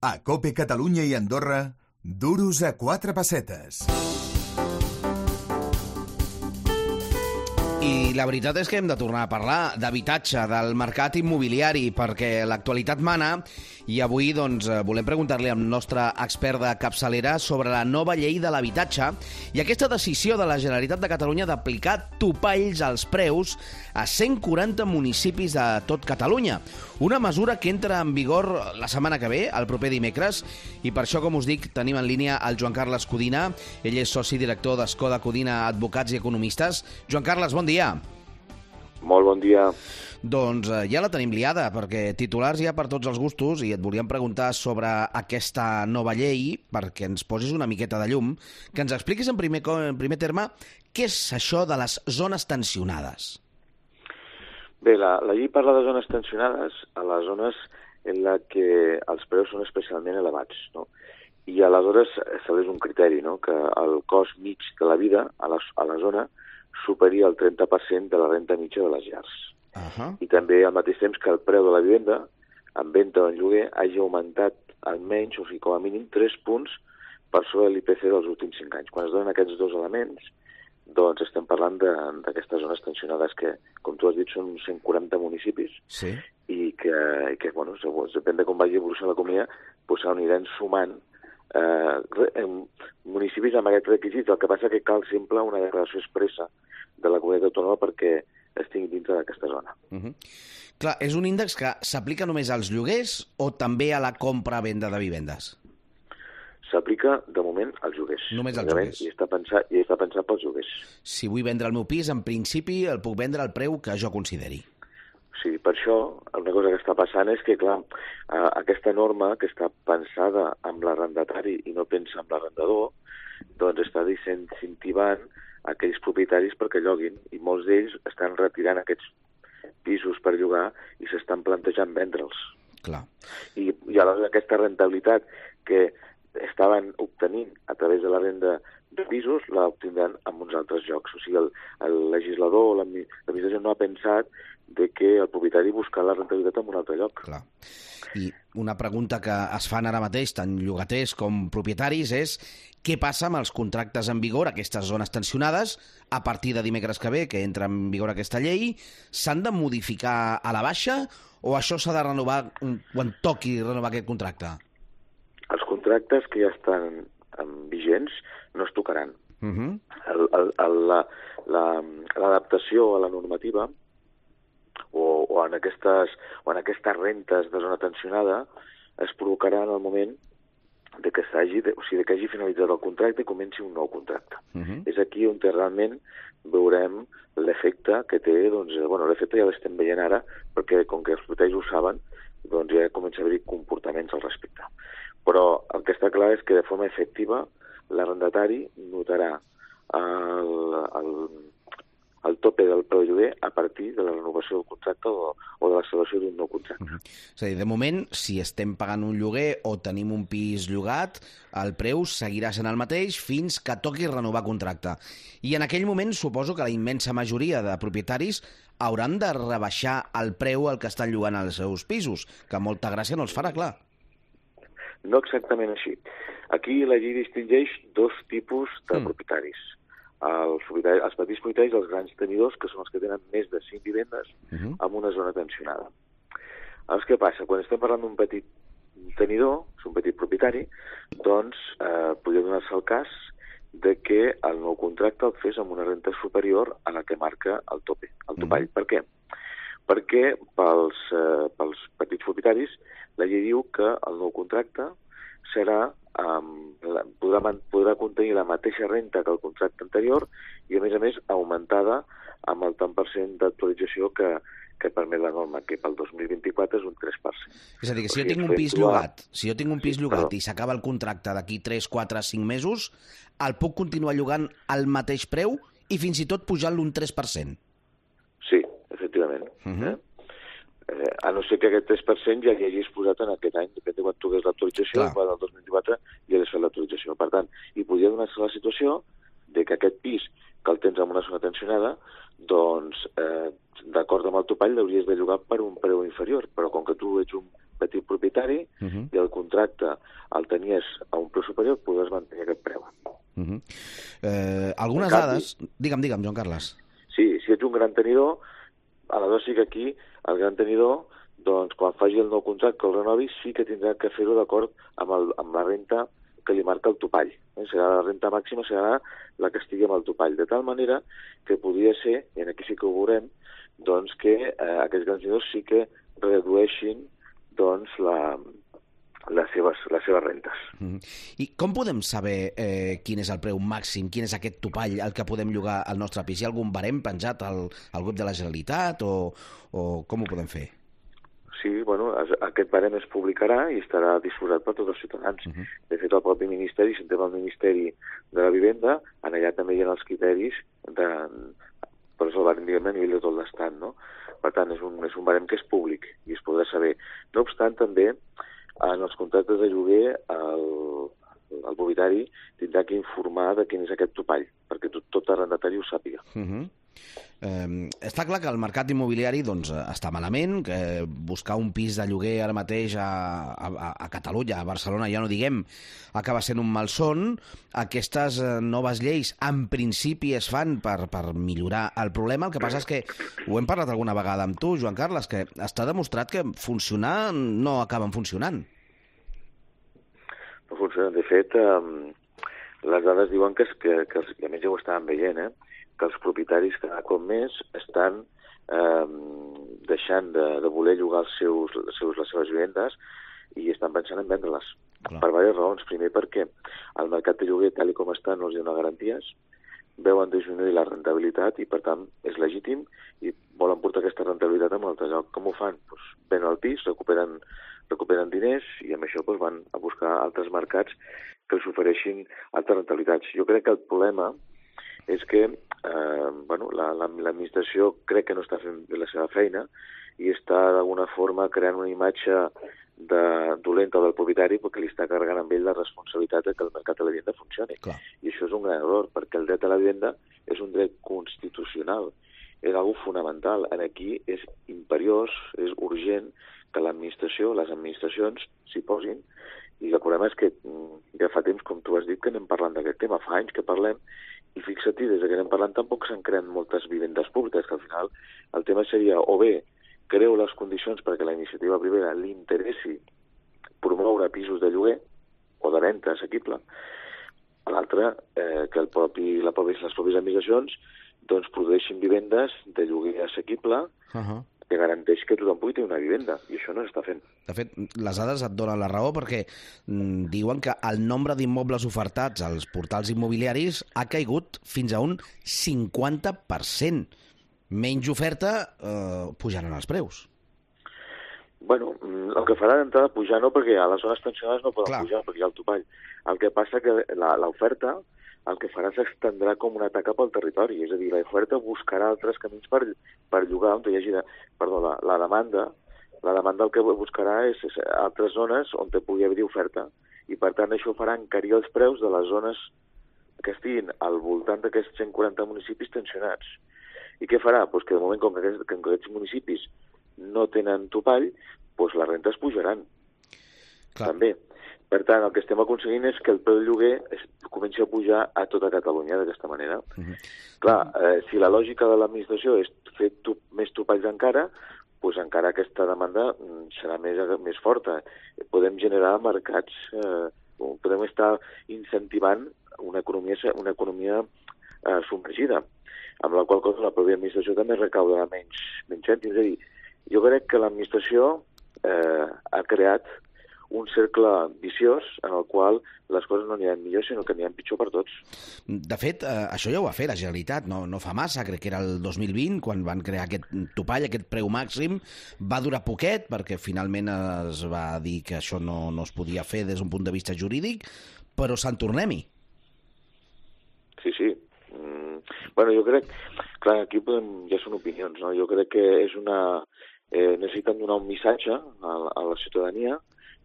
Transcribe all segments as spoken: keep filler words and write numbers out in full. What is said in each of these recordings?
A COPE Catalunya i Andorra, duros a quatre pessetes. I la veritat és que hem de tornar a parlar d'habitatge, del mercat immobiliari, perquè l'actualitat mana i avui doncs, volem preguntar-li al nostre expert de capçalera sobre la nova llei de l'habitatge i aquesta decisió de la Generalitat de Catalunya d'aplicar topalls als preus a cent quaranta municipis de tot Catalunya. Una mesura que entra en vigor la setmana que ve, el proper dimecres, i per això, com us dic, tenim en línia el Joan Carles Codina. Ell és soci director d'Escoda Codina Advocats i Economistes. Joan Carles, bon dia. Molt bon dia. Doncs eh, ja la tenim liada, perquè titulars hi ha per tots els gustos i et volíem preguntar sobre aquesta nova llei, perquè ens posis una miqueta de llum, que ens expliquis en primer, en primer terme què és això de les zones tensionades. Bé, la, la llei parla de zones tensionades a les zones en la que els preus són especialment elevats, no? I aleshores estableix un criteri, no? Que el cost mig de la vida a la, a la zona superi el trenta per cent de la renta mitja de les llars. Uh-huh. I també al mateix temps que el preu de la vivenda en venda o en lloguer hagi augmentat almenys, o sigui, com a mínim, tres punts per sobre l'I P C dels últims cinc anys. Quan es donen aquests dos elements, doncs estem parlant d'aquestes zones tensionades que, com tu has dit, són cent quaranta municipis. Sí. I que, i que bueno, segons, depèn de com vagi evolucionant l'economia, doncs s'aniran sumant eh, municipis amb aquests requisits. El que passa que cal sempre una declaració expressa de la comunitat autònoma perquè estigui dintre d'aquesta zona. Uh-huh. Clar, és un índex que s'aplica només als lloguers o també a la compra-venda de vivendes? S'aplica, de moment, als lloguers. Només als lloguers. I està pensat, i està pensat pels lloguers. Si vull vendre el meu pis, en principi el puc vendre al preu que jo consideri. Sí, per això una cosa que està passant és que, clar, aquesta norma que està pensada amb l'arrendatari i no pensa en l'arrendador, doncs està incentivant aquells propietaris perquè lloguin, i molts d'ells estan retirant aquests pisos per llogar i s'estan plantejant vendre'ls. Clar. I, i aleshores aquesta rentabilitat que estaven obtenint a través de la venda de pisos la obtindran en uns altres llocs. O sigui, el, el legislador o l'administració no ha pensat de que el propietari busca la rentabilitat en un altre lloc. Clar. I una pregunta que es fan ara mateix, tant llogaters com propietaris, és què passa amb els contractes en vigor, aquestes zones tensionades, a partir de dimecres que ve, que entra en vigor aquesta llei, s'han de modificar a la baixa o això s'ha de renovar quan toqui renovar aquest contracte? Els contractes que ja estan vigents no es tocaran. Uh-huh. el, el, el, la, la, l'adaptació a la normativa o, o, en aquestes, o en aquestes rentes de zona tensionada es provocarà en el moment de que, s'hagi, de, o sigui, de que hagi finalitzat el contracte i comenci un nou contracte. Uh-huh. És aquí on realment veurem l'efecte que té, doncs, bueno, l'efecte ja l'estem veient ara, perquè com que els propietaris ho saben, doncs ja comença a haver-hi comportaments al respecte. Però el que està clar és que de forma efectiva l'arrendatari notarà el, el, el tope del preu de lloguer a partir de la renovació del contracte o, o de la celebració d'un nou contracte. Uh-huh. És a dir, de moment, si estem pagant un lloguer o tenim un pis llogat, el preu seguirà sent el mateix fins que toqui renovar contracte. I en aquell moment suposo que la immensa majoria de propietaris hauran de rebaixar el preu al que estan llogant els seus pisos, que molta gràcia no els farà, clar. No exactament així. Aquí la llei distingeix dos tipus de mm. propietaris. Els, propietaris. els petits propietaris, els grans tenidors, que són els que tenen més de cinc vivendes uh-huh. en una zona tensionada. Llavors, què passa? Quan estem parlant d'un petit tenidor, és un petit propietari, doncs eh, podria donar-se el cas de que el nou contracte el fes amb una renta superior a la que marca el tope, el topall. Uh-huh. Per què? Perquè pels, eh, pels petits propietaris la llei diu que el nou contracte serà, um, la, podrà, podrà contenir la mateixa renta que el contracte anterior i, a més a més, augmentada amb el tant per cent d'actualització que, que permet la norma, que pel dos mil vint-i-quatre és un tres per cent. És a dir, que si jo tinc un pis llogat, si jo tinc un pis llogat i s'acaba el contracte d'aquí tres, quatre, cinc mesos, el puc continuar llogant al mateix preu i fins i tot pujant-lo un tres per cent? Sí, efectivament. Uh-huh. eh? Eh, a no ser que aquest tres per cent ja li hagis posat en aquest any, depèn de quan tu hagués l'actualització, quan del dos mil vint-i-quatre ja hagués fet l'actualització. Per tant, hi podria donar-se la situació de que aquest pis que el tens en una zona tensionada, doncs, eh, d'acord amb el topall, l'hauries de llogar per un preu inferior, però com que tu ets un petit propietari uh -huh. i el contracte el tenies a un preu superior, podràs mantenir aquest preu. Uh -huh. eh, algunes canvi, dades... Digue'm, digue'm, Joan Carles. Sí, si ets un gran tenidor, aleshores sí que aquí el gran tenidor, doncs quan faci el nou contracte que el renovi, sí que tindrà que fer-ho d'acord amb, el, amb la renta que li marca el topall. Eh? Serà la renta màxima, serà la que estigui amb el topall. De tal manera que podria ser, i aquí sí que ho veurem, doncs que eh, aquests grans tenidors sí que redueixin doncs, la, les, seves, les seves rentes. Mm. I com podem saber eh, quin és el preu màxim, quin és aquest topall al que podem llogar al nostre pis? Hi ha algun barem penjat al, al web de la Generalitat o, o com ho podem fer? Sí, bueno, aquest barem es publicarà i estarà disposat per tots els ciutadans. Uh -huh. De fet, el propi Ministeri, si entrem al Ministeri de la Vivenda, en allà també hi ha els criteris de, per això el barem, diguem, a nivell de tot l'Estat, no? Per tant, és un, és un barem que és públic i es podrà saber. No obstant, també, en els contractes de lloguer, el, el propietari tindrà que informar de quin és aquest topall, perquè tot, tot arrendatari ho sàpiga. Uh -huh. Eh, està clar que el mercat immobiliari doncs, està malament, que buscar un pis de lloguer ara mateix a, a, a Catalunya, a Barcelona, ja no diguem, acaba sent un malson. Aquestes noves lleis en principi es fan per, per millorar el problema. El que passa és que, ho hem parlat alguna vegada amb tu, Joan Carles, que està demostrat que funcionar no acaben funcionant. No funcionen. De fet, eh, les dades diuen que, que, que i a més ja ho estàvem veient, eh? que els propietaris cada cop més estan eh, deixant de, de voler llogar els seus, els seus, les seves vivendes i estan pensant en vendre-les. Clar. Per diverses raons. Primer, perquè el mercat de lloguer, tal com està, no els dona garanties, veuen disminuir la rentabilitat i, per tant, és legítim i volen portar aquesta rentabilitat a un altre lloc. Com ho fan? Pues, venen el pis, recuperen, recuperen diners i amb això pues, van a buscar altres mercats que els ofereixin altres rentabilitats. Jo crec que el problema és que eh, bueno, l'administració la, la, crec que no està fent la seva feina i està d'alguna forma creant una imatge de, dolenta del propietari perquè li està carregant amb ell la responsabilitat de que el mercat de la vivenda funcioni. Clar. I això és un gran error, perquè el dret a la vivenda és un dret constitucional, és una cosa fonamental. Aquí és imperiós, és urgent que l'administració, les administracions s'hi posin. I el problema és que ja fa temps, com tu has dit, que anem parlant d'aquest tema, fa anys que parlem, i fixa't, des que anem parlant tampoc s'han creat moltes vivendes públiques, que al final el tema seria o bé creu les condicions perquè la iniciativa privada li interessi promoure pisos de lloguer o de venda assequible, a l'altre eh, que el propi, la propi, les pròpies administracions doncs produeixin vivendes de lloguer assequible uh -huh. que garanteix que tothom pugui tenir una vivenda, i això no s'està fent. De fet, les dades et donen la raó perquè mm, diuen que el nombre d'immobles ofertats als portals immobiliaris ha caigut fins a un cinquanta per cent. Menys oferta, eh, pujaran els preus. Bueno, el que farà d'entrada pujar no, perquè a les zones tensionades no poden Clar. pujar, perquè hi ha el topall. El que passa que l'oferta el que farà s'estendrà com una taca pel territori, és a dir, l'oferta buscarà altres camins per, per llogar, on hi hagi, de, perdó, la, la demanda, la demanda el que buscarà és, és altres zones on te pugui haver oferta, i per tant això farà encarir els preus de les zones que estiguin al voltant d'aquests cent quaranta municipis tensionats. I què farà? Pues que de moment, com que aquests, que aquests municipis no tenen topall, pues les rentes pujaran. Clar. També. Per tant, el que estem aconseguint és que el preu del lloguer es comenci a pujar a tota Catalunya d'aquesta manera. Uh -huh. Clar, eh, si la lògica de l'administració és fer tu, més topalls encara, doncs encara aquesta demanda serà més, més forta. Podem generar mercats, eh, podem estar incentivant una economia, una economia eh, submergida, amb la qual cosa la pròpia administració també recaudarà menys, menys cèntims. És a dir, jo crec que l'administració eh, ha creat un cercle viciós en el qual les coses no aniran millor, sinó que aniran pitjor per tots. De fet, eh, això ja ho va fer la Generalitat, no, no fa massa, crec que era el dos mil vint, quan van crear aquest topall, aquest preu màxim. Va durar poquet, perquè finalment es va dir que això no, no es podia fer des d'un punt de vista jurídic, però se'n tornem-hi. Sí, sí. Mm, bueno, jo crec... Clar, aquí podem, ja són opinions, no? Jo crec que és una... Eh, necessiten donar un missatge a la, a la ciutadania,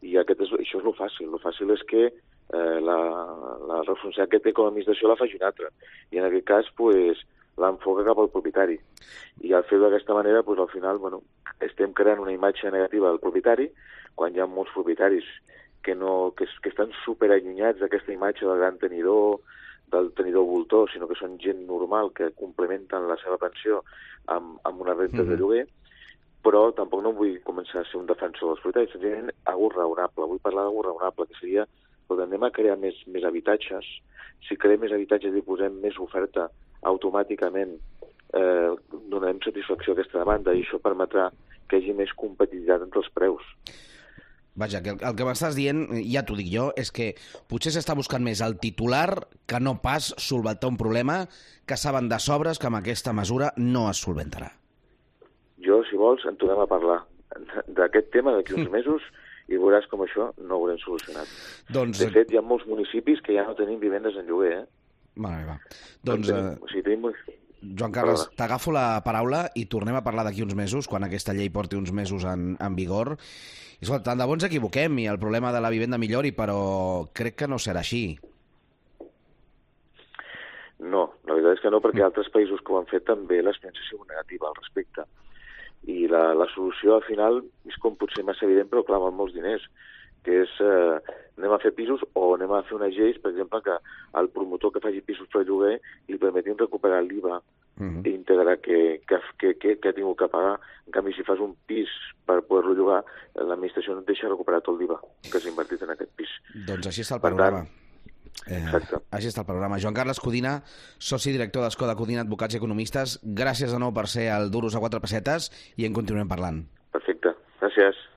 i aquest és, això és el fàcil. El fàcil és que eh, la, la responsabilitat que té com a administració la faci una altra. I en aquest cas, pues, l'enfoca cap al propietari. I al fer d'aquesta manera, pues, al final, bueno, estem creant una imatge negativa del propietari, quan hi ha molts propietaris que, no, que, que estan superallunyats d'aquesta imatge del gran tenidor, del tenidor voltor, sinó que són gent normal que complementen la seva pensió amb, amb una renta mm-hmm. de lloguer, però tampoc no vull començar a ser un defensor dels propietaris, senzillament algú raonable. Vull parlar d'algú raonable, que seria que anem a crear més, més habitatges. Si creem més habitatges i posem més oferta, automàticament eh, donarem satisfacció a aquesta demanda i això permetrà que hi hagi més competitivitat entre els preus. Vaja, que el, el que m'estàs dient, ja t'ho dic jo, és que potser s'està buscant més el titular que no pas solventar un problema que saben de sobres que amb aquesta mesura no es solventarà. Jo, si vols, en tornem a parlar d'aquest tema d'aquí uns mesos i veuràs com això no ho haurem solucionat. Doncs... De fet, hi ha molts municipis que ja no tenim vivendes en lloguer, eh? Mare meva. Doncs, tenim, o sigui, tenim... Joan Carles, t'agafo la paraula i tornem a parlar d'aquí uns mesos, quan aquesta llei porti uns mesos en, en vigor. I escolta, tant de bo ens equivoquem i el problema de la vivenda millori, però crec que no serà així. No, la veritat és que no, perquè mm. altres països que ho han fet també l'experiència ha sigut negativa al respecte. I la, la solució al final és com potser massa evident, però clar, amb molts diners, que és eh, anem a fer pisos o anem a fer unes lleis, per exemple, que el promotor que faci pisos per lloguer li permetin recuperar l'I V A uh-huh. íntegre que, que, que, que, que ha tingut que pagar. En canvi, si fas un pis per poder-lo llogar, l'administració no et deixa recuperar tot l'I V A que s'ha invertit en aquest pis. Doncs així està el panorama. Eh, així està el programa. Joan Carles Codina, soci director d'Escoda Codina Advocats i Economistes, gràcies de nou per ser al Duros a quatre pessetes i en continuem parlant. Perfecte, gràcies.